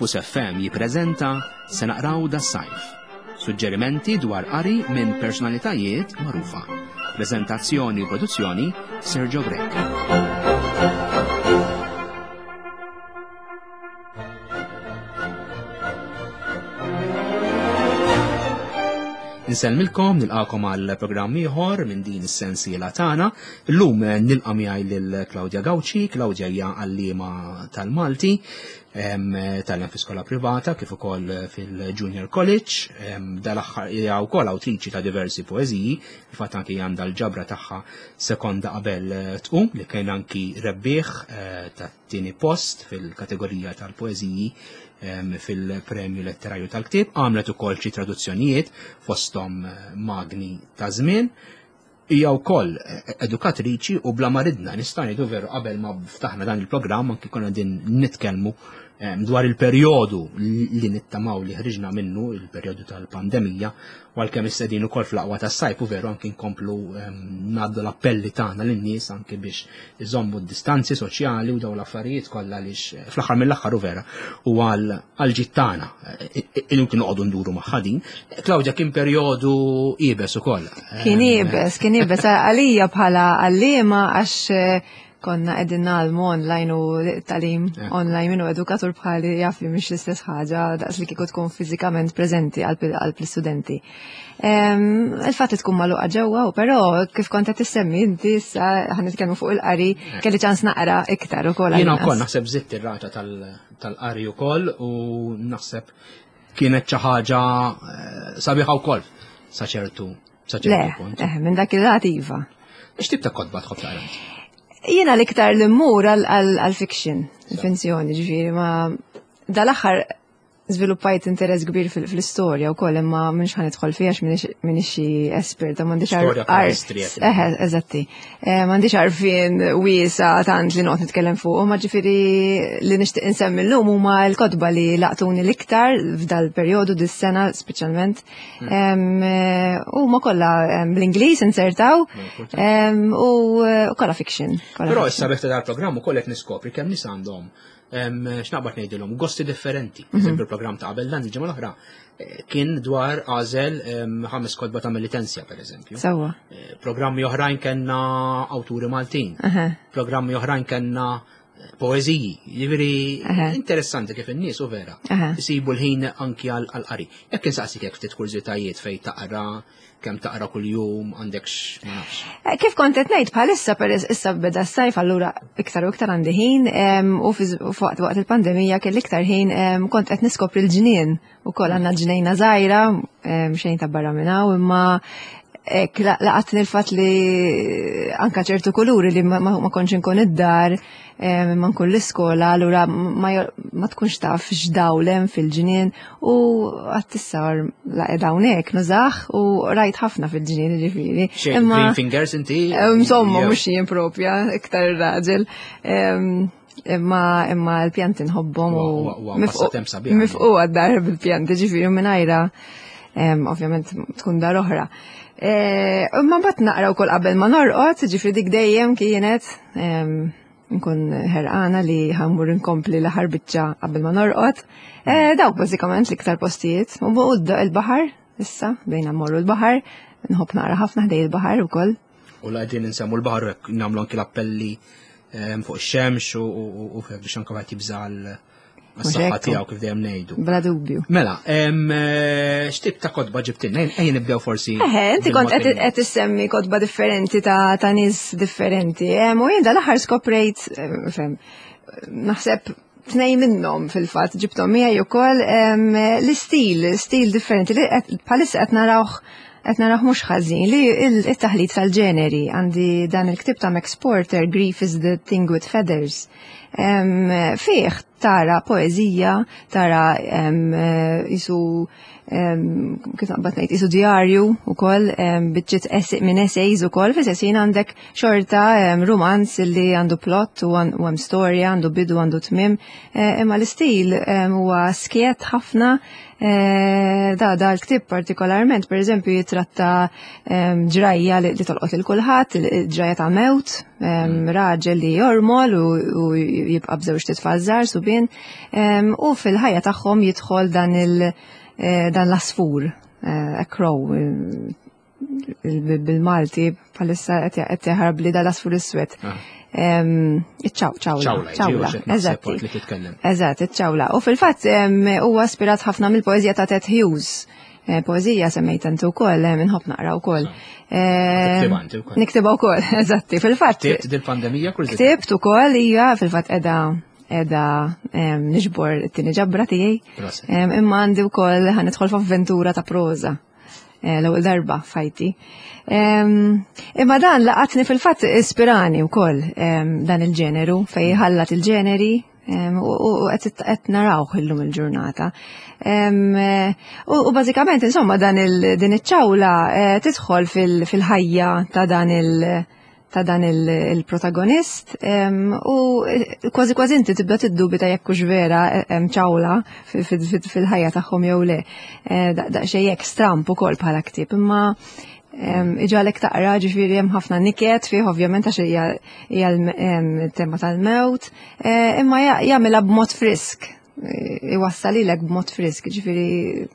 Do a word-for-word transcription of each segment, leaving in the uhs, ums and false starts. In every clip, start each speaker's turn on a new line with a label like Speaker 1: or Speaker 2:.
Speaker 1: Campus F M jippreżenta Se Naqraw das-Sajf. Suġġerimenti dwar qari minn personalitajiet magħrufa. Preżentazzjoni u produzzjoni Sergio Grech. Insellmilkom, nilqakom għal programm ieħor minn din is-sensiela tagħna. Illum nilqa' miegħi lil Claudia Gauci. Claudia hija għalliema tal-Malti, em, tgħallem fi skola privata kif ukoll fil-Junior College. Em, dal-aħħar hija wkoll awtriċi ta' diversi poeżiji, infatti anki għandha l-ġabra tagħha Sekonda qabel tqum li kien anki rebbieħ, eh, tat-tieni post fil-kategorija tal-poeżiji, em, fil-Premju Letterarju tal-Ktieb. Għamlet ukoll xi traduzzjonijiet fosthom, eh, Magni ta' Żmien. Hija wkoll, eh, edukatriċi u bla ma ridna nista' ngħidu veru qabel ma ftaħna dan il-programm anki konna din nitkellmu, em, dwar il-perjodu li nittamaw li ħriġna minnu, il-perjodu tal-pandemija, u għalkemm issa qegħdin ukoll fl-aqwa tas-sajf u veru anki nkomplu, em, ngħaddu l-appelli tagħna lin-nies anki biex iżommu d-distanzi soċjali u dawn l-affarijiet kollha għaliex, eh, fl-aħħar mill-aħħar u vera u għal, għal ġid tagħna, eh, eh, eh, inutli noqogħdu nduru magħha din. Claudia, kien perjodu iebes ukoll.
Speaker 2: Kien iebes, kien iebes għalija bħala għalliema għax, eh, konna qegħdin nagħlmu online u tagħlim
Speaker 1: Eh.
Speaker 2: online minnu edukatur bħali jaf li mhix l-istess ħaġa daqs li kieku tkun fiżikament preżenti għal pil-, għal l-istudenti. Em, il-fatt li tkun magħluqa ġewwa, u però kif kont qed tissemmi inti issa ħa nitkellmu fuq il-qari,
Speaker 1: Eh.
Speaker 2: kelli ċans naqra iktar ukoll
Speaker 1: Jiena
Speaker 2: għal
Speaker 1: wkoll
Speaker 2: inqas.
Speaker 1: naħseb żidt ir-rata tal-, tal-qari ukoll u naħseb kienet xi ħaġa, eh, sabiħa wkoll sa ċertu, sa ċertu
Speaker 2: Le,
Speaker 1: punt.
Speaker 2: eh, minn dak il-lat iva.
Speaker 1: X'tip ta' kotba tħobb taqra inti?
Speaker 2: Jiena l-iktar li mmur għal, għal, għal-fiction, il-finzjoni, ġifieri, ma dal-aħħar żviluppajt interess kbir fil-, fl-istorja wkoll, imma m'iniex ħa nidħol fiha għax m'iniex, m'iniex xi esperta, m'għandix
Speaker 1: Storja
Speaker 2: ar-
Speaker 1: bħala history, qed
Speaker 2: Eħe, eżatti. Eh, m'għandix għarfien wiesa tant li noqgħod nitkellem fuq, ma ġifieri li nixtieq insemmi llum huma l-kotba li laqtuni l-iktar f'dal-perjodu dis-sena speċjalment.
Speaker 1: Hmm.
Speaker 2: Em, eh, huma kollha, em, bl-Ingliż insertaw,
Speaker 1: Importanti.
Speaker 2: em, u, eh, u kollha fiction, kollha
Speaker 1: Però
Speaker 2: fiction.
Speaker 1: issa biex dal-programm ukoll qed niskopri kemm nies għandhom, em, x'naqbad ngħidilhom, gosti differenti.
Speaker 2: Mhm.
Speaker 1: Eżempju, il-programm ta' qabel dan il-ġimgħa l-oħra, eh, kien dwar għażel, em, ħames kotba ta' Melitensia, per eżempju.
Speaker 2: Sewwa.
Speaker 1: Eh, programmi oħrajn kellna awturi Maltin.
Speaker 2: Aha.
Speaker 1: Programmi oħrajn kellna poeżiji. Jiġifieri
Speaker 2: Aha.
Speaker 1: interessanti kif in-nies u vera
Speaker 2: Aha.
Speaker 1: isibu l-ħin anki għal, għal qari. Jekk insaqsik hekk ftit kurżitajiet fejn taqra, kemm taqra kuljum, għandek x-, ma nafx.
Speaker 2: Eh, kif kont qed ngħid bħalissa per es-, issa beda s-sajf, allura iktar u iktar għandi ħin, em, u fi z-, u waqt, waqt il-pandemija kelli iktar ħin, em, kont qed niskopri l-ġnien ukoll għandna ġnejna żgħira, em, xejn ta' barra minn hawn, imma hekk la-, laqatni l-fatt li anka ċertu kuluri li ma, ma, ma kontx inkun id-dar, em, ma nkun l-iskola, allura ma jo-, ma tkunx taf x'dawl hemm fil-ġnien u għad tissar laqgħet hawnhekk nużaħ u rajt ħafna fil-ġnien, ġifieri.
Speaker 1: Xejn,
Speaker 2: Imma
Speaker 1: green fingers inti?
Speaker 2: Em, insomma,
Speaker 1: Jew.
Speaker 2: mhux jien propja, iktar raġel. Em, imma, imma l-pjanti nħobbhom u
Speaker 1: Wa, wa, wa,
Speaker 2: mifqu-
Speaker 1: passatemp sabiħ.
Speaker 2: mifqu għad-dar bil-pjanti, ġifieri mingħajra, em, ovvjament tkun dar oħra. Eh, imma mbagħad naqra wkoll qabel ma norqod, ġifieri dik dejjem kienet, em, nkun ħerqana li ħammur inkompli l-aħħar biċċa qabel ma norqod. Eh, dawk bażikament l-iktar postijiet. U buqud il-baħar, issa, bejna mmorru l-baħar, nħobb naqra ħafna ħdej il-baħar ukoll.
Speaker 1: U la qegħdin insemmu l-baħar hekk nagħmlu anki l-appelli, em, fuq ix-xemx u, u, u, u biex anke wieħed jibża' għal
Speaker 2: Mhux
Speaker 1: għas-saħħa
Speaker 2: hekk.
Speaker 1: tiegħu kif dejjem ngħidu.
Speaker 2: Bla dubju.
Speaker 1: Mela, em, eh, x'tip ta' kotba ġibtilna? Ejja, ejja nibdew forsi
Speaker 2: Eħe, inti kont qed
Speaker 1: bil-mod
Speaker 2: qed issemmi kotba differenti ta', ta' nies differenti. Em, u jien dal-aħħar skoprejt, em, fem, naħseb tnej minnhom fil-fatt ġibthom miegħi wkoll, em, l-istil, stil differenti li qed, bħalissa qed narawh qed narawh mhux ħażin li il-, it-taħlit tal-ġeneri. Għandi dan il-ktieb ta' Max Porter, Grief is the Thing with Feathers. Em, fih tara poeżija, tara, em, jisu, em, kif naqbad ngħid, jisu djarju ukoll, em, biċċiet ess-, minn essays ukoll, fi sessin għandek xorta, em, romanz li għandu plot u għan-, u hemm storja, għandu bidu, għandu tmiem, eh, imma l-istil, em, huwa skiet ħafna. Eh, da, da l-ktieb partikolarment, per eżempju, jitratta, em, ġrajja li, li tolqot lil kulħadd, il-, il-ġrajja ta' mewt, Em, Raġel li jormol u, u jibqa' b'żewġt itfal żgħar subien, em, u fil-ħajja tagħhom jidħol dan il eh, dan l-asfur, eh, a crow, eh, bil- bil-Malti bħalissa qed jaħrab li dal-asfur iswed.
Speaker 1: Ah.
Speaker 2: Em, Iċ-ċaw, ċawla.
Speaker 1: Ċawla,
Speaker 2: ċawla,
Speaker 1: ġi,
Speaker 2: eżatti.
Speaker 1: li titkellem.
Speaker 2: Eżatt, iċ-ċawla. U fil-fatt em, huwa ispirat ħafna mill-poeżija ta' Ted Hughes. Eh, Poeżija semmejt inti wkoll, eh, minħobb naqra wkoll. Eh,
Speaker 1: Tiktibha inti wkoll.
Speaker 2: Niktibha wkoll, eżatti. Fil-fatt
Speaker 1: Ktibt dil-pandemija kull
Speaker 2: ktibt ukoll hija fil-fatt qiegħda qiegħda em, niġbor it-tieni ġabra tiegħi.
Speaker 1: Proset.
Speaker 2: Em, Imma għandi wkoll ħa nidħol f'avventura ta' proża. Eh, L-ewwel darba f'ħajti. Em, Imma dan laqatni fil-fatt ispirani wkoll em, dan il-ġeneru fej ħallat il-ġeneri em, u u qed qed narawh illum il-ġurnata. Em, eh, U u bażikament insomma dan il din iċ-ċawla eh, tidħol fil- fil-ħajja ta' dan il- ta' dan il- il-protagonist em, u eh, kważi kważi inti tibda tiddubita jekk hux vera eh, hemm ċawla fi- fi- fi- fil-ħajja tagħhom jew le. Eh, da- Daqsxejn hekk stramp ukoll bħala ktieb, imma em, iġagħlek taqra ġifieri hemm ħafna niket fih ovvjament għax hija hija l-tema tal-mewt, eh, imma ja- jagħmilha b'mod frisk, eh, iwassal lilek b'mod frisk, ġifieri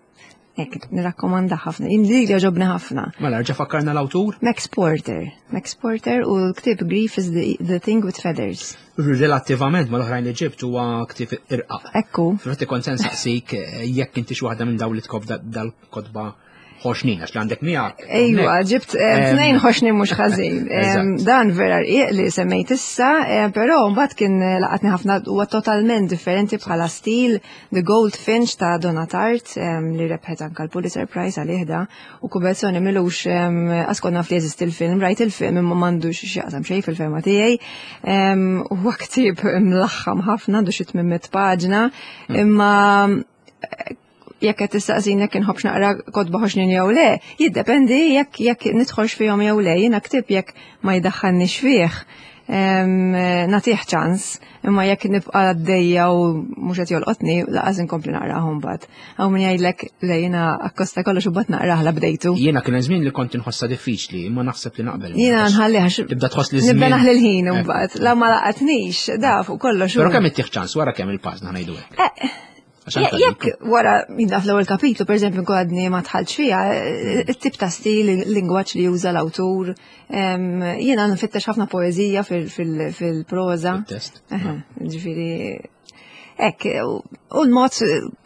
Speaker 2: hekk nirrakkomanda ħafna. Jien li jogħġobni ħafna.
Speaker 1: Mela, rġa' fakkarna l-awtur?
Speaker 2: Max Porter. Max Porter u l-ktieb Grief is the, the Thing with Feathers.
Speaker 1: Relattivament mal-oħrajn li ġibt huwa ktieb irqaq.
Speaker 2: Ekku.
Speaker 1: Fil-fatt kont se nsaqsik eh, jekk inti xi waħda minn dawn li tkob dal-kotba ħoxnin, għax li għandek miegħek.
Speaker 2: Ejwa, ġibt eh,
Speaker 1: Em,
Speaker 2: tnejn ħoxnin mhux ħażin. Em,
Speaker 1: Eżatt.
Speaker 2: Dan vera rqiq li semmejt issa, eh, però mbagħad kien eh, laqatni ħafna huwa totalment differenti bħala stil The Goldfinch ta' Donna Tartt em, li rebħet anka l-Pulitzer Prize għalih da u Kubezzoni milux em, għax kont naf li jeżisti il-film, rajt il-film imma m'għandux x'jaqsam xejn fil-fehma tiegħi. Em, Huwa ktieb mlaħħam ħafna, għandu xi tmien mitt paġna, imma jekk qed tistaqsini jekk inħobbx naqra kotba ħoxnin jew le, jiddependi jekk jekk nidħolx fihom jew le, jiena ktieb jekk ma jdaħħalniex fih. em, Nagħtih ċans, imma jekk nibqa' għaddejja u mhux qed jolqotni, lanqas inkompli naqrahom mbagħad. Hawn min jgħidlek le jiena akkosta kollox u mbagħad naqrah la bdejtu.
Speaker 1: Jiena kien hemm żmien li kont inħossha diffiċli, imma naħseb li naqbel.
Speaker 2: Jiena nħalli għax
Speaker 1: Tibda tħoss li
Speaker 2: nibda
Speaker 1: żmien.
Speaker 2: naħli l-ħin
Speaker 1: Eh.
Speaker 2: mbagħad. La ma laqatnix, da fuq kollox.
Speaker 1: Però
Speaker 2: u-
Speaker 1: kemm ittih ċans wara kemm il-pażna ngħidu hekk.
Speaker 2: Eh,
Speaker 1: Għax anke
Speaker 2: Jekk wara jidda fl-ewwel kapitlu, per eżempju, nkun għadni ma dħaltx fiha, it-tip ta' stil, il-lingwaġġ li juża l-awtur, em, jiena nfittex ħafna poeżija fil-proża.
Speaker 1: Fit-test.
Speaker 2: Aha, Ġifieri, hekk, u u l-mod,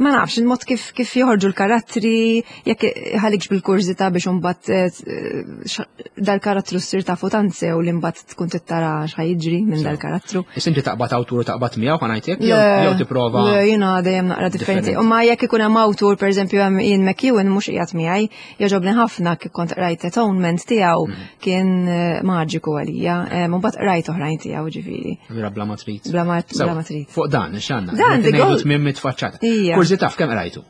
Speaker 2: ma nafx, il-mod kif kif joħorġu l-karattri, jekk ħalikx bil-kurżità biex imbagħad eh, dal-karattru ssir tafu tant sew li mbagħad tkun tittara x'ħa jiġri minn dal-karattru.
Speaker 1: Issa inti taqbad awtur u taqbad miegħu ħa ngħidlek jew jew tipprova.
Speaker 2: Le, jiena dejjem naqra differenti.
Speaker 1: Differenti.
Speaker 2: U ma jekk ikun hemm awtur, pereżempju hemm Ian McEwan mhux qiegħed miegħi, jogħġobni ħafna kif kont qrajt Atonement tiegħu
Speaker 1: Mhm.
Speaker 2: kien eh, maġiku għalija. Eh, Mbagħad qrajt oħrajn tiegħu ġifieri.
Speaker 1: Vera bla ma trid.
Speaker 2: Bla ma
Speaker 1: Sewa,
Speaker 2: bla ma trid.
Speaker 1: Fuq dan, x'għandna?
Speaker 2: Dan, The
Speaker 1: Ngħidu
Speaker 2: Gold-
Speaker 1: tmien mitt faċċata.
Speaker 2: Ija.
Speaker 1: Kurżità f'kemm qrajtu?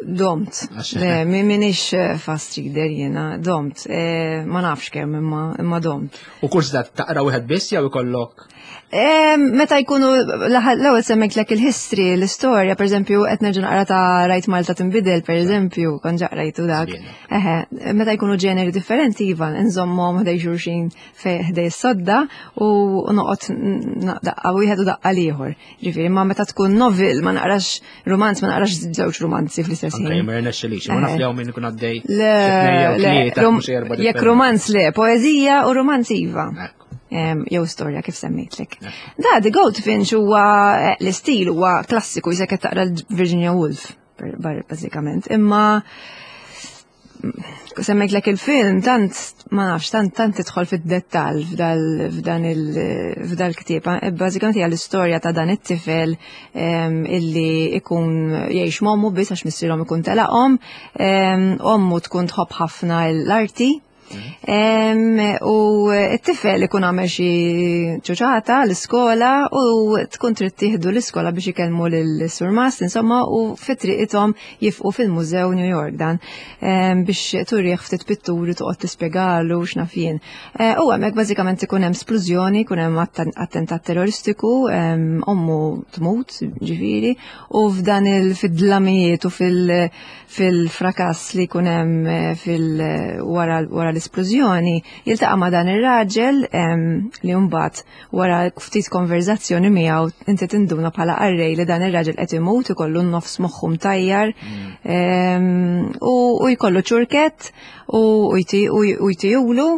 Speaker 2: Domt.
Speaker 1: Għax-
Speaker 2: Le, mi minix eh, fast reader jiena, domt. Eh, Ma nafx kemm imma imma domt.
Speaker 1: U kurżità taqra wieħed biss jew ikollok
Speaker 2: Eh, Meta jkunu l-ewwel semmejtlek il-history, l-istorja, per eżempju, qed nerġa' naqra ta' Rajt Malta tinbidel, per eżempju, kont ġa qrajtu dak.
Speaker 1: Sbieħ.
Speaker 2: Eħe, meta jkunu ġeneri differenti, iva, nżommhom ħdej xulxin fej ħdej s-sodda u noqgħod n- daqqa wieħed u daqqa l-ieħor. Ġifieri, ma meta tkun novel, ma naqrax romanz, ma naqrax żewġ romanzi fl-istess
Speaker 1: anke
Speaker 2: ħin.
Speaker 1: ma jirnexxilix, ma naf li hawn min ikun għaddej.
Speaker 2: Le,
Speaker 1: xi tnejn jew
Speaker 2: le,
Speaker 1: tlieta,
Speaker 2: rom-
Speaker 1: mhux erba'
Speaker 2: jekk
Speaker 1: differenti.
Speaker 2: romanz le, poeżija u romanz iva.
Speaker 1: Ekku.
Speaker 2: Em, jew storja kif semmejtlek. Da, The Goldfinch huwa eh, l-istil huwa klassiku jisek qed taqra l-Virginia Woolf, per- bar- bażikament. Imma mm, semmejtlek il-film, tant, ma nafx, tant, tant tidħol fid-dettall f'dal, f'dan il, f'dal ktieb. Eh, Bażikament hija l-istorja ta' dan it-tifel em, illi ikun jgħix m'ommu biss għax missierhom ikun telaqhom, em, ommu tkun tħobb ħafna l-arti. Em, u t-tifel ikun għamel xi ċuċata l-iskola u tkun trid tieħdu l-iskola biex ikellmu lil-surmast, insomma, u fi triqithom jieqfu fil-Mużew New York dan em, biex turih ftit pitturi toqgħod tispjegalu x'naf jien. Eh, U hemmhekk bażikament ikun hemm splużjoni, ikun hemm atten- attentat terroristiku, em, ommu tmut, ġifieri, u f'dan il-fid-dlamijiet u fil- fil-frakass li jkun hemm eh, fil wara wara l-isplużjoni, jiltaqa' ma' dan ir-raġel li mbagħad wara ftit konverzazzjoni miegħu inti tinduna bħala qarrej li dan ir-raġel qed imut, ikollu n-nofs moħħu mtajjar u jkollu ċurkett u jtihulu.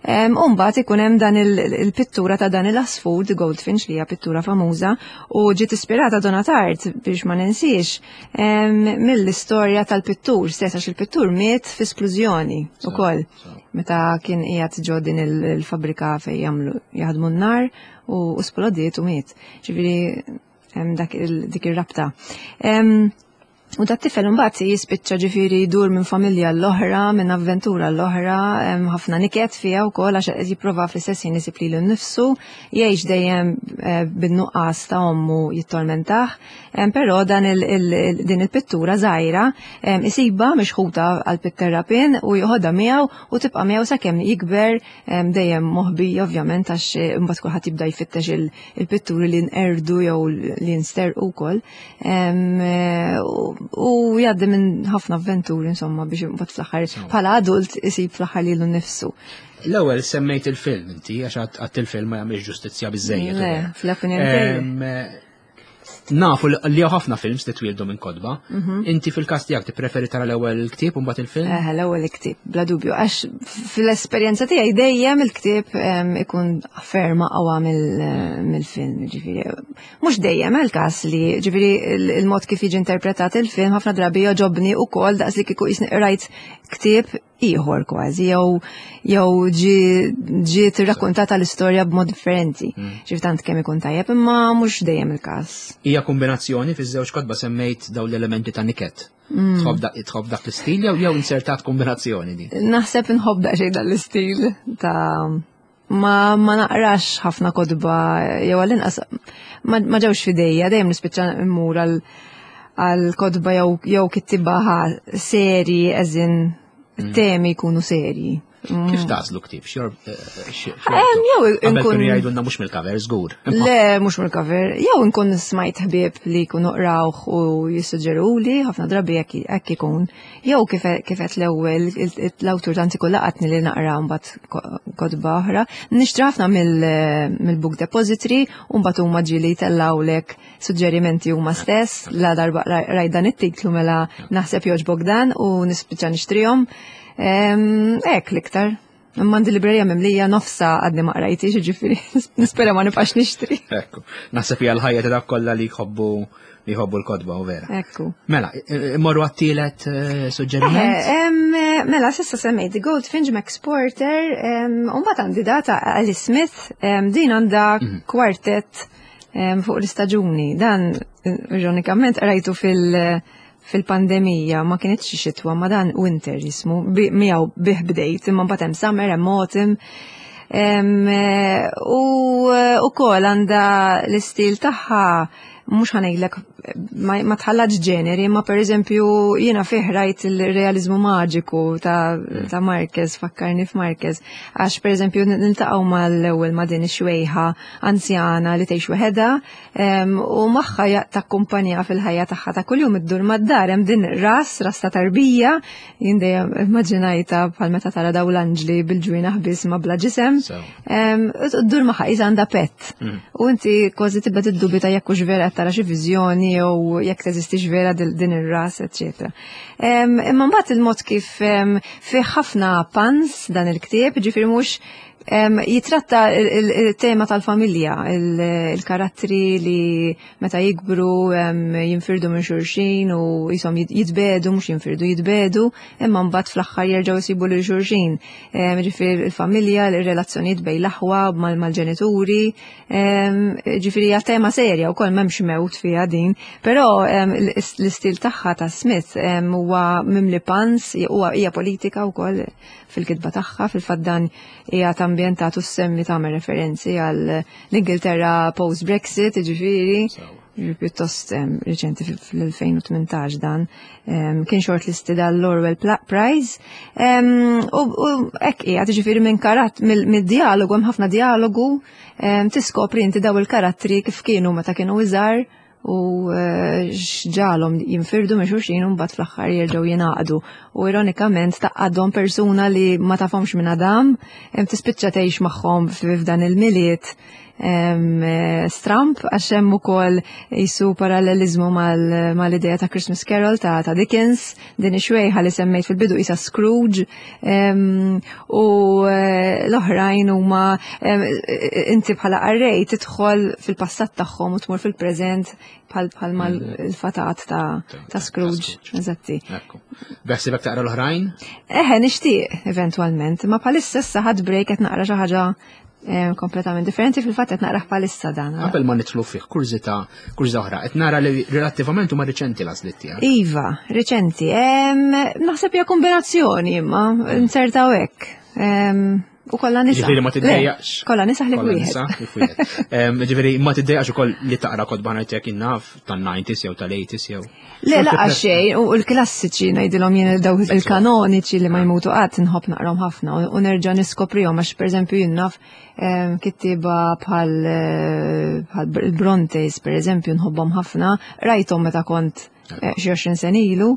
Speaker 2: U mbagħad ikun hemm dan il-pittura ta' dan il-asfur, The Goldfinch, li hija pittura famuża u ġiet ispirata Donna Tartt, biex ma ninsiex, mill-istorja tal-pittur stess, għax il-pittur miet fi splużjoni ukoll meta kien qiegħed ġo din il-fabrika fejn jagħmlu jaħdmu n-nar u splodiet u miet. Ġifieri hemm dak dik ir-rabta. U dat tifel imbagħad jispiċċa ġifieri jdur minn familja l-oħra, minn avventura l-oħra, ħafna niket fiha wkoll għax qed jipprova fl-istess ħin isib lilu nnifsu, jgħix dejjem eh, bin-nuqqas ta' ommu jittormentah, però dan din il-pittura żgħira isibha mixħuta għal pitterrapien u joħodha miegħu u tibqa' miegħu sakemm jikber, dejjem moħbija ovvjament, għax imbagħad kulħadd jibda jfittex il-pitturi li nqerdu jew li nsterqu wkoll u jgħaddi minn ħafna avventuri insomma biex imbagħad fl-aħħar bħala adult isib fl-aħħar lilu nnifsu.
Speaker 1: L-ewwel semmejt il-film inti, għax għadt il-film ma jagħmilx ġustizzja biżejjed.
Speaker 2: Le, fl-opinjoni.
Speaker 1: Nafu li ħafna films li twildu minn kotba. Mhm. Inti fil-każ tiegħek tippreferi tara l-ewwel ktieb u mbagħad il-film?
Speaker 2: Eh, l-ewwel ktieb, bla dubju, għax fil-esperjenza tiegħi dejjem il-ktieb ikun ferm aqwa mill-film, ġifieri. Mhux dejjem il-każ li ġifieri il-mod kif jiġi interpretat il-film ħafna drabi jogħġobni wkoll daqs li kieku qisni qrajt ktieb ieħor kważi jew jew ġiet irrakkuntata l-istorja b'mod differenti. Mm. Ġifieri tant kemm ikun tajjeb, imma mhux dejjem il-każ.
Speaker 1: Hija kombinazzjoni fiż-żewġ kotba semmejt dawn l-elementi ta' niket. Mm. Tħobb dak l-istil jew jew insertat kombinazzjoni di?
Speaker 2: Naħseb nħobb daqsxejn dan l-istil ta' ma, ma naqrax ħafna kotba jew għall-inqas ma, ma ġewx f'idejja, dejjem nispiċċa immur għal għal kotba jew jew kittiba seri eżin mm. temi jkunu serji.
Speaker 1: Kif tagħżlu ktieb? Xor
Speaker 2: Jew
Speaker 1: inkun jgħidulna mhux mill-cover, żgur.
Speaker 2: Le, mhux mill-cover. Jew inkun smajt ħbieb li jkunu qrawh u jissuġġeruli, ħafna drabi hekk ikun. Jew kif qed l-ewwel l-awtur tant ikun laqatni li naqra mbagħad kotba oħra. Nixtri ħafna mill-book depository u mbagħad huma ġieli jtellgħulek suġġerimenti huma stess, la darba rajt dan it-titlu mela naħseb jogħġbok dan u nispiċċa nixtrihom. Hekk l-iktar. Imma għandi librerija mimlija, nofsa għadni ma qrajtix, ġifieri nispera ma nibqax nixtri.
Speaker 1: Ekku, naħseb hija l-ħajja ta' dak kollha li jħobbu li jħobbu l-kotba u vera.
Speaker 2: Ekku.
Speaker 1: Mela, immorru għat-tielet eh, suġġeriment?
Speaker 2: Eh, mela, s'issa semmejt The Goldfinch, Max Porter, u mbagħad għandi data Ali Smith, din għandha mhm. kwartet fuq l-istaġuni. Dan, ironikament, rajtu fil- fil-pandemija, ma kienx xitwa, ma dan winter jismu, miegħu bih bdejt, imma mbagħad hemm summer, hemm autumn. U ukoll għandha l-istil tagħha, mhux ħa ngħidlek ma tħallatx ġeneri, ma per eżempju jiena fih rajt il-realizmu maġiku ta', ta Marquez, fakkarni f'Marquez, għax per eżempju niltaqgħu mal-ewwel ma' din ix-xwejħa anzjana li tgħix weħedha u magħha takkumpanja fil-ħajja tagħha ta' kuljum iddur mad-dar hemm din ras, ras ta' tarbija, jien dejjem immaġinajta bħal meta tara daw l-anġli bil-ġwienaħ biss ma bla ġisem. Iddur magħha qisha għandha pet. Mm. U inti kważi tibda tiddubita jekk hux vera tara xi viżjoni jew jekk teżistix vera din ir-ras, eċetera. Imma mbagħad il-mod kif fih ħafna puns dan il-ktieb, ġifieri mhux jitratta il-tema tal-familja, il-karattri li meta jikbru jinfirdu minn xulxin u jisom jitbedu, mhux jinfirdu, jitbedu, imma mbagħad fl-aħħar jerġgħu jsibu lil xulxin. Ġifieri il-familja, il-relazzjonijiet bejn l-aħwa mal-ġenituri, ġifieri hija tema serja wkoll, m'hemmx mewt fiha din, però l-istil tagħha ta' Smith huwa mimli puns, huwa hija politika wkoll fil-kitba tagħha, fil-fatt dan hija ambjentatu semmi tagħmel referenzi għal l-Ingilterra post-Brexit, ġifieri pjuttost reċenti, fl-elfejn u tmintax dan kien shortlisted għall-Orwell Prize. U hekk hija, ġifieri minn karat mid-dialogu, hemm ħafna dialogu, tiskopri inti daw il-karattri kif kienu meta kienu iżgħar. u eh, x'ġagħalhom jinfirdu minn xulxin u mbagħad fl-aħħar jerġgħu jingħaqdu. U ironikament tgħaqqadhom persuna li ma tafhomx minn Adam, em, tispiċċa tgħix magħhom f'dan il-Milied em, eh, stramp, għax hemm ukoll jisu parallelizmu mal- mal-idea ta' Christmas Carol ta', ta' Dickens, din ix-xwejħa li semmejt fil-bidu isa Scrooge, em, u eh, l-oħrajn huma em, inti bħala qarrej tidħol fil-passat tagħhom u tmur fil-preżent bħal bħal mal il-fatat ta', ta' Scrooge.
Speaker 1: Scrooge.
Speaker 2: Eżatti.
Speaker 1: Ekku. Beħsibek taqra l-oħrajn?
Speaker 2: Eħe, nixtieq eventwalment, ma bħalissa issa ħadt break, qed naqra xi ħaġa eh, kompletament differenti, fil-fatt qed naqra bħalissa dan.
Speaker 1: Qabel ma nidħlu fih, kurżità, kurżità oħra, qed nara li relattivament huma riċenti l-għażliet tiegħek.
Speaker 2: Iva, riċenti. Em, Naħseb hija kombinazzjoni imma, insertaw hekk. Em, U kollha nisa.
Speaker 1: Ġifieri ma tiddejjaqx.
Speaker 2: Le, kollha nisa ħlief
Speaker 1: Kollha
Speaker 2: wieħed.
Speaker 1: nisa, ħlief wieħed. Em, Ġifieri ma tiddejjaqx ukoll li taqra kotba ngħidlek innaf tan-nineties jew tal-eighties jew.
Speaker 2: Le, laqas xejn, u l-klassiċi ngħidilhom jien, daw il-kanoniċi li ma jmutu qatt, nħobb naqrahom ħafna u nerġa' niskoprihom, għax pereżempju jien naf em, kittieba bħal eh, bħal il-Brontes pereżempju nħobbhom ħafna, rajthom meta kont eh, xi għoxrin sena ilu,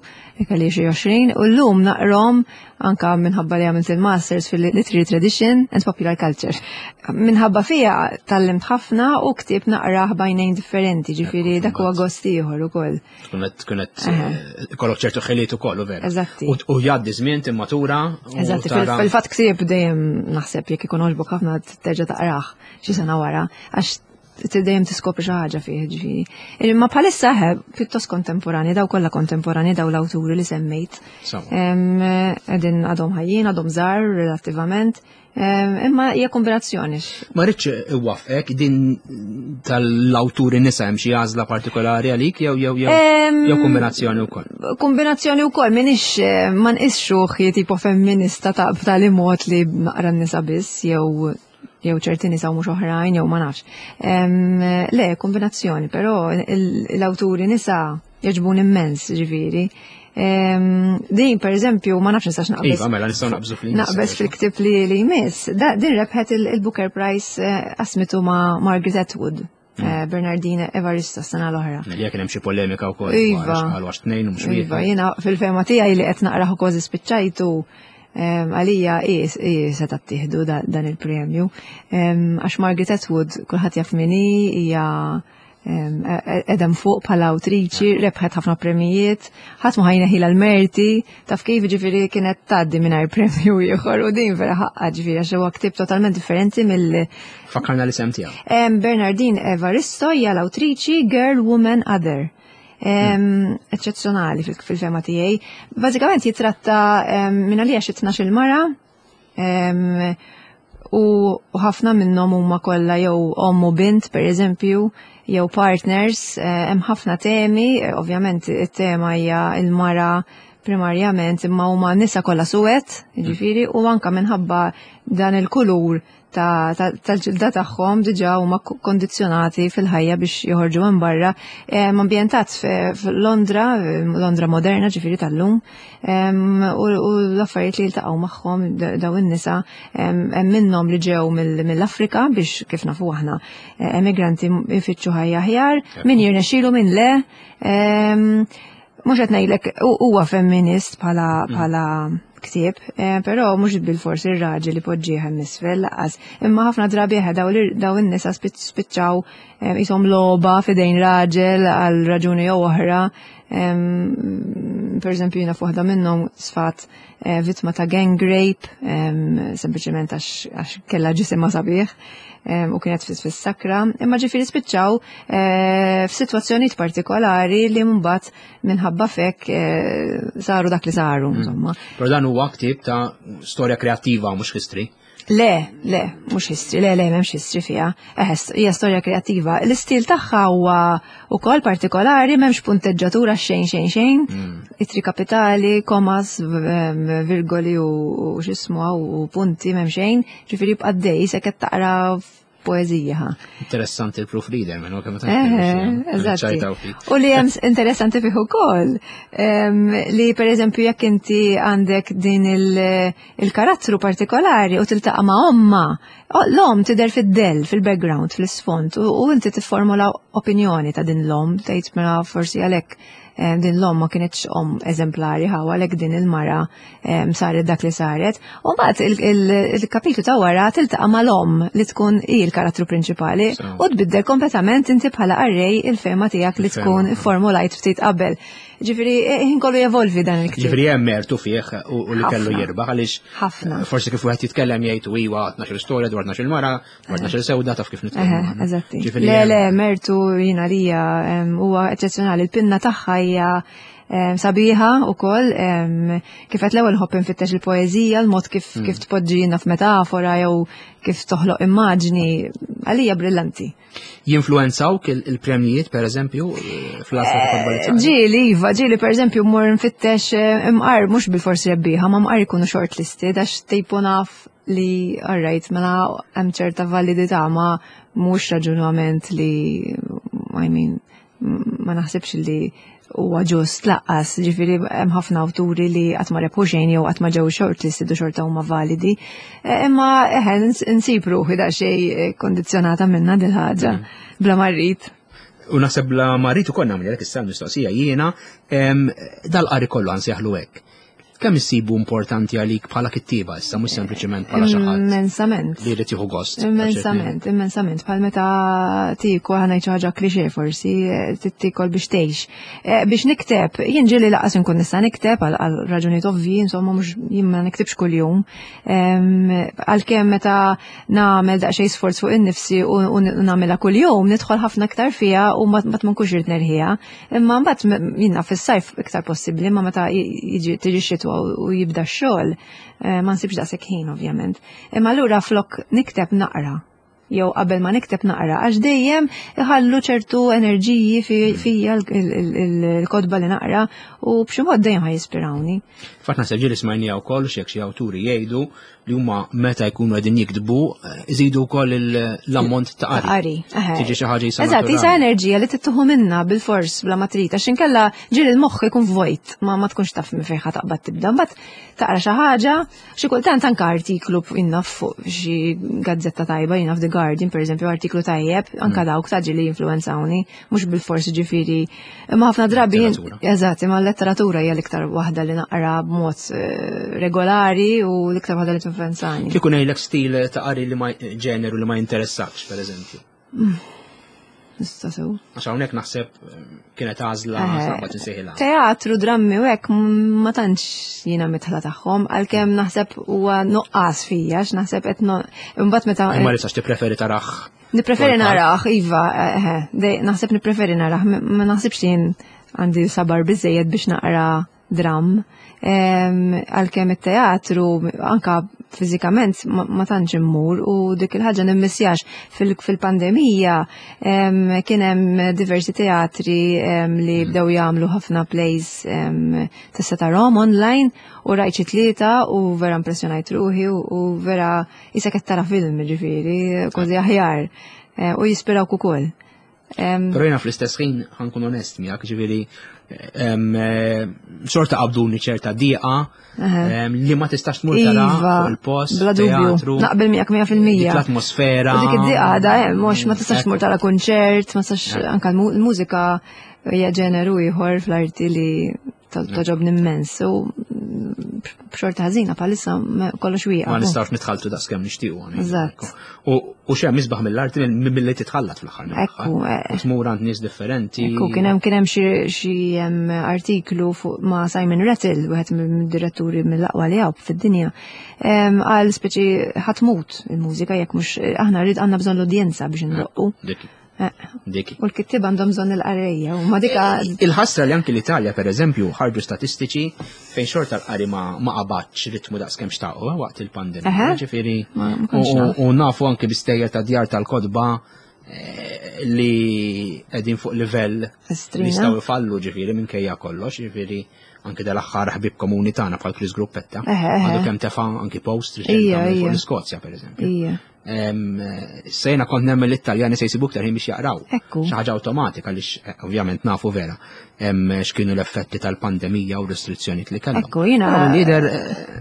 Speaker 2: kelli xi għoxrin, u llum naqrahom anka minħabba li għamilt il-Masters fil-Literary Tradition and Popular Culture. Minħabba fija tgħallimt ħafna u ktieb naqrah b'għajnejn differenti, ġifieri dak huwa gost ieħor ukoll.
Speaker 1: Tkun qed tkun qed eh, ikollok ċertu ħiliet ukoll, u vera.
Speaker 2: Eżatti.
Speaker 1: U u jgħaddi żmien, timmatura u
Speaker 2: Eżatti,
Speaker 1: tara-
Speaker 2: fil-fatt ktieb dejjem naħseb jekk ikun għoġbok ħafna terġa' taqrah xi sena wara, għax dejjem tiskopri xi ħaġa fih, ġifieri. Imma bħalissa ħe pjuttost kontemporani, daw kollha kontemporani, daw l-awturi li semmejt.
Speaker 1: Sawa.
Speaker 2: Em, Qegħdin għadhom ħajjin, għadhom żgħar relattivament, em, imma hija kombinazzjoni.
Speaker 1: Ma rridx iwaqqfek, din tal-awturi nisa, hemm xi għażla partikolari għalik jew jew jew
Speaker 2: Em,
Speaker 1: jew kombinazzjoni wkoll?
Speaker 2: Kombinazzjoni wkoll, minix eh, ma nqisx ruħi tipo femminista ta' b'tali mod li naqra n-nisa biss jew jew ċerti nisa u mhux oħrajn jew ma nafx. Em, Le, kombinazzjoni, però il- l-awturi nisa jogħġbuni immens, ġifieri. Em, Din per eżempju, ma nafx nistax naqbeż.
Speaker 1: Iva, mela nistgħu naqbżu fl
Speaker 2: Naqbeż fil-ktib li li jmiss. Da, din rebħet il- il-Booker Prize, eh, qasmitu ma' Margaret Atwood, eh, Bernardine Evaristo, sena l-oħra.
Speaker 1: Li kien hemm xi polemika wkoll.
Speaker 2: Iva.
Speaker 1: Qalu għax tnejn u mhux
Speaker 2: Iva,
Speaker 1: wieħed.
Speaker 2: jiena fil-fehma tiegħi li qed naqraħ u kważi spiċċajtu, em, għalija i seta tieħdu da- dan il-premju. Em, Għax Margaret Atwood kulħadd jaf min hi, hija em, e- e- edem fuq bħala awtriċi, rebħet ħafna premijiet, ħadd ma ħa jneħħilha l-merti, taf kif, ġifieri kienet tgħaddi mingħajr premju ieħor u din vera ħaqqa, ġifieri għax huwa ktieb totalment differenti mill
Speaker 1: Fakkarna l-isem tiegħu.
Speaker 2: Em, Bernardine Evaristo hija l-awtriċi, Girl, Woman, Other. Em, Eċċezzjonali fil- fil-fehma tiegħi. Bażikament jitratta em, minn għalija xi tnax-il mara em, u u ħafna minnhom huma kollha jew omm u bint pereżempju, jew partners, eh, hemm ħafna temi, eh, ovvjament it-tema hija il-mara primarjament, imma huma nisa kollha suwed, jiġifieri, u anka minħabba dan il-kulur ta- ta- tal-ġilda tagħhom diġà huma ko- kondizzjonati fil-ħajja biex joħorġu minn barra. Em, Ambjentat f- f'Londra, Londra moderna, ġifieri tal-lum, em, u u l-affarijiet li jiltaqgħu magħhom da- daw in-nisa, em, hemm minnhom li ġew mill- mill-Afrika biex, kif nafu aħna, eh, emigranti jfittxu ħajja aħjar, min jirnexxielu, min le. em, Mhux qed ngħidlek hu- huwa femminist bħala bħala ktieb, eh, però mhux bil-forsi ir-raġel li poġġieħ hemm isfel lanqas. Imma ħafna drabi eħe daw l- daw in-nisa spiċ- spiċċaw eh, qishom logħba f'idejn raġel għal raġuni jew oħra. Em, Per eżempju, jiena f'waħda minnhom sfat eh, vittma ta' gang rape, em, sempliċement għax għax kellha ġisimha sabiħ em, u kienet fis fis-sakra, imma ġifieri spiċċaw eh, f'sitwazzjonijiet partikolari li mbagħad minħabba fek eh, saru dak li saru, insomma.
Speaker 1: Però dan huwa ktieb ta' storja kreattiva, mhux history.
Speaker 2: Le, le, mhux history, le, le, m'hemmx history fiha. Eh, hija storja kreattiva. L-istil tagħha huwa ukoll partikolari, m'hemmx punteġġatura xejn xejn xejn. Ittri kapitali, commas, v- virgoli u u x'ismu u punti m'hemm xejn. Ġifieri bqaddej se qed taqra poeżija. Ha.
Speaker 1: Interessanti il-proofreader, minn kemm
Speaker 2: Eżatti. U li hemm interessanti fih ukoll li pereżempju jekk inti għandek din il-karattru partikolari u tiltaqa' ma' omma, l-om tidher fid-del, fil-background, fl-isfond, u inti tifformula opinjoni ta' din l-om, tgħid mela forsi għalhekk din l-om ma kienx om eżemplari ħaw għalhekk din il-mara saret dak li saret. U mbagħad il-kapitlu ta' wara tiltaqa' mal-om li tkun hi l-karattru prinċipali u tbiddel kompletament inti bħala qarrej il-fehma tiegħek li tkun formulajt ftit qabel. Ġifieri ħin kollu jevolvi dan il-ktieb.
Speaker 1: Ġifieri hemm mertu fih u li kellu jirbaħ għaliex
Speaker 2: ħafna.
Speaker 1: Forsi kif wieħed jitkellem jgħid iwa tnax-il storja dwar tnax-il mara, dwar tnax-il sewda taf kif nitkellmu.
Speaker 2: Eżatti. Le le mertu jiena lija huwa eċċezzjonali, il-pinna tagħha hija sabiħa u koll, kif qed l-ewwel nħobb infittex il-poeżija, l-mod kif kif tpoġġi f'metafora jew kif toħloq immaġni, għalija brillanti.
Speaker 1: Jinfluwenzawk il-premjijiet, per eżempju, fl-għażla ta' kotba li taqra?
Speaker 2: Ġieli, iva, ġieli per eżempju mmur nfittex imqar mhux bil-forsi rebbieħa, ma mqar ikunu shortlisted għax tejpu naf li alright, mela hemm ċerta validità ma mhux raġunament li I mean, ma naħsibx li huwa ġust laqqas, ġifieri hemm ħafna awturi li qatt ma rebħu xejn jew qatt ma ġew shortlisted u xorta huma validi. Imma eħe nsib ruħi daqsxejn kondizzjonata minna dil ħaġa bla ma rrid.
Speaker 1: U naħseb bla ma rrid ukoll nagħmel issa l-mistoqsija jiena dal-qari kollu nsejħlu hekk. Kemm issibu importanti għalik bħala kittieba issa, mhux sempliċement bħala xi ħadd
Speaker 2: Immensament.
Speaker 1: li jrid jieħu gost.
Speaker 2: Immensament, immensament. Bħal meta tiekol ħa ngħid xi ħaġa klixè forsi, tiekol biex tgħix. Biex nikteb, jien ġieli laqas inkun nista' nikteb għal raġunijiet ovvji, insomma mhux jien ma niktibx kuljum. Għalkemm meta nagħmel daqsxejn sforz fuq innifsi u nagħmilha kuljum, nidħol ħafna aktar fiha u ma nkunx irid nerħiha. Imma mbagħad jiena fis-sajf iktar possibbli, imma meta jiġi tiġi xitwa u jibda x-xogħol, ma nsibx daqshekk ħin ovvjament. Imma allura flok nikteb naqra, jew qabel ma nikteb naqra, għax dejjem iħallu ċertu enerġiji fija l-kotba li naqra u b'xi mod dejjem ħa jispirawni.
Speaker 1: Fatt naħseb ġieli smajnija wkoll xi xi awturi jgħidu li huma meta jkunu qegħdin jiktbu iżidu wkoll l-ammont ta' qari.
Speaker 2: Qari, eħe.
Speaker 1: Tiġi xi ħaġa jisa
Speaker 2: Eżatt, jisa enerġija li tittuħu minna bil-fors bla ma trid, għax inkella ġieli l-moħħ ikun vojt, ma ma tkunx taf minn fejn taqbad tibda. Mbagħad taqra xi ħaġa, xi kultant anke artiklu jiena fuq xi gazzetta tajba, jiena f'The Guardian pereżempju artiklu tajjeb, anke dawk ta' ġieli jinfluwenzawni, mhux bil-fors ġifieri. Imma ħafna drabi eżatt, imma l-letteratura hija l-iktar waħda li naqra b'mod regolari u l-iktar waħda li tinfluwenzani.
Speaker 1: Kieku ngħidlek stil ta' qari li ma ġeneru li ma jinteressakx, pereżempju.
Speaker 2: Nista' sew.
Speaker 1: Għax hawnhekk naħseb kienet għażla sabba tinsejħilha.
Speaker 2: Teatru, drammi u hekk ma tantx jiena mitħla tagħhom, għalkemm naħseb huwa nuqqas fija, għax naħseb qed imbagħad meta
Speaker 1: Imma li sax tippreferi taraħ.
Speaker 2: Nippreferi naraħ, iva, eħe, naħseb nippreferi naraħ, ma naħsibx li jien għandi sabar biżejjed biex naqra dram. Għalkemm it-teatru anka fiżikament ma tantx immur u dik il-ħaġa nimmissjax. Fil-pandemija kien hemm diversi teatri li bdew jagħmlu ħafna plays tista' tarahom online u rajt xi tlieta u vera impressjonajt ruħi u vera isek qed tara film ġifieri kważi aħjar u jispirawk ukoll.
Speaker 1: Però jiena fl-istess ħin ħa nkun onest miegħek, ġifieri xorta qabduni ċerta diqa li ma tistax tmur tara fuq il-post,
Speaker 2: bla dubju, naqbel miegħek mija fil-mija.
Speaker 1: Dik l-atmosfera.
Speaker 2: U dik id-diqa għadha hemm, mhux ma tistax tmur tara konċert, ma tistax anke l-mużika hija ġeneru ieħor fl-arti li toġobni immens u b'xorta ħażina bħalissa kollox wieqaf.
Speaker 1: Ma nistgħux nitħalltu daqskemm nixtiequ.
Speaker 2: Eżatt.
Speaker 1: U xemm isbaħ mill-arti milli titħallat fl-aħħar.
Speaker 2: Ekku.
Speaker 1: U tmur għand nies differenti.
Speaker 2: Ekku, kien hemm kien hemm xi artiklu fuq ma' Simon Rattle, wieħed mid-diretturi mill-aqwa li hawn fid-dinja. Għal speċi ħatmut il-mużika jekk mhux aħna rrid għandna bżonn l-udjenza biex ndoqqu.
Speaker 1: Dik.
Speaker 2: U l-kittieb għandhom bżonn il-qarrejja u ma dika.
Speaker 1: Il-ħasra li anki l-Italja pereżempju ħarġu statistiċi fejn xorta l-qari ma qabadx ritmu daqskemm xtaqu waqt il-pandemija. Ġifieri u nafu anki bistejjer ta' djar tal-kotba li qegħdin fuq livell li jistgħu jfallu ġifieri minkejja kollox, ġifieri anki dal-aħħar ħbieb komuni tagħna bħal Chris Gruppetta. Għandu kemm tefa' anki post fuq l-Iskozja pereżempju. Sejna kont nemmen l-Italjani se jsibu iktar ħin biex jaqraw. Xi ħaġa awtomatika għaliex ovvjament nafu vera x'kienu l-effetti tal-pandemija u restrizzjonijiet li kellhom.
Speaker 2: Ekku, jiena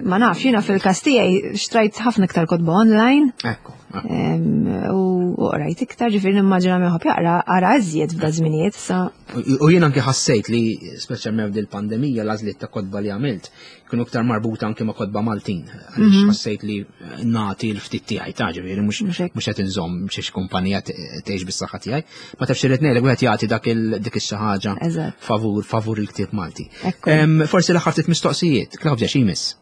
Speaker 2: ma nafx, jiena fil-każ tiegħi xtrajt ħafna iktar kotba online.
Speaker 1: Ekku.
Speaker 2: U qrajt iktar, ġifieri nimmaġina min iħobb jaqra qara iżjed f'da żminijiet sa.
Speaker 1: U jien anke ħassejt li speċjalment f'dil pandemija l-għażliet ta' kotba li għamilt kienu iktar marbuta anke ma' kotba Maltin. Għaliex ħassejt li nagħti l-ftit tiegħi ta' ġifieri mhux qed inżomm xi kumpanija tgħix bis-saħħa tiegħi. Ma tafx irid ngħidlek wieħed jagħti dak dik ix-xi ħaġa favur favur il-ktieb Malti. Forsi l-aħħar ftit mistoqsijiet, Claudia, x'imiss?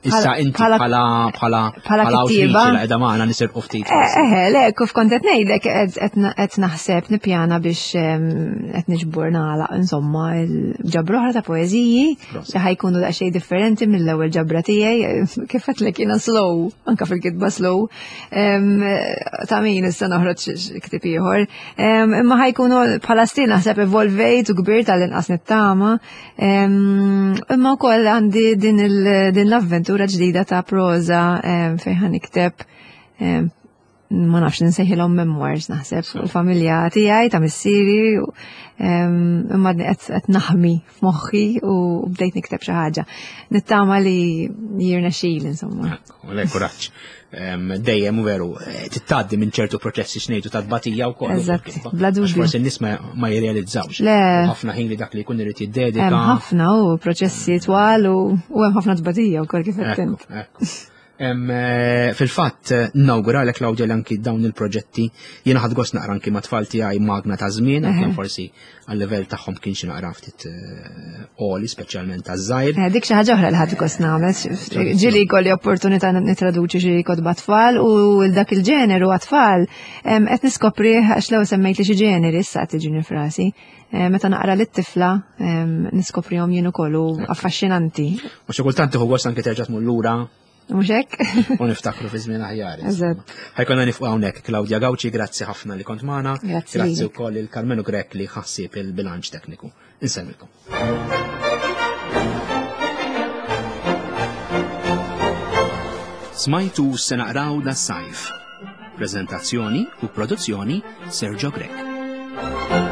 Speaker 1: Issa inti bħala bħala
Speaker 2: bħala kittieba
Speaker 1: li qiegħda magħna nisirqu ftit.
Speaker 2: Eh, le, kif kont qed ngħidlek qed naħseb nippjana biex qed niġbor nagħlaq insomma l-ġabra oħra ta' poeżiji li ħajkunu daqsxejn differenti mill-ewwel ġabra tiegħi. Kif għedtlek jiena slow, anke fil-kitba slow. Ta' min issa noħroġ ktieb ieħor. Imma ħajkunu bħala stil naħseb evolvejt u kbirt tal-inqas nittama. Imma wkoll għandi din l-avventura ġdida ta' proza fejn ħa nikteb, ma nafx nsejħilhom memoirs naħseb, fuq il-familja tiegħi ta' missieri, imma qed naħmi f'moħħi u bdejt nikteb xi ħaġa. Nittama li jirnexxili insomma.
Speaker 1: Le, kuraġġ. Dejjem u veru, tittaddi minn ċertu proċessi xnejtu ta' tbatija wkoll.
Speaker 2: Eżatt, bla dubju.
Speaker 1: Forsi n-nies ma jirrealizzawx. Ħafna ħin li dak li jkun irid jiddedika.
Speaker 2: Hemm ħafna u proċessi twal u hemm ħafna tbatija wkoll kif qed int.
Speaker 1: Fil-fatt, nawguralek Claudia li anki dawn il-proġetti jiena ħadt gost naqra anki ma' tfal tiegħi Magna ta' żmien, anke forsi għal-livell tagħhom kien xi naqra ftit għoli, speċjalment taż-żgħir.
Speaker 2: Dik xi ħaġa oħra li ħadt gost nagħmel. Ġieli jkolli opportunità nitraduċi xi kotba tfal u dak il-ġeneru għat-tfal qed niskopri għax lew semmejt li xi ġeneri issa qed tiġini frasi. Meta naqra lit-tifla niskoprihom jien ukoll u affaxxinanti.
Speaker 1: U xi kultant tieħu gost anke terġa' tmur lura.
Speaker 2: Mhux hekk?
Speaker 1: U niftakru fi żmien aħjar.
Speaker 2: Eżatt.
Speaker 1: Ħajkonna nifqu hawnhekk Claudia Gauci, grazzi ħafna li kont magħna.
Speaker 2: Grazzi.
Speaker 1: Grazzi wkoll il Carmenu Grech li ħassib il-bilanċ tekniku. Insellmilkom. Smajtu se naqraw das-sajf. Prezentazzjoni u produzzjoni Sergio Grech.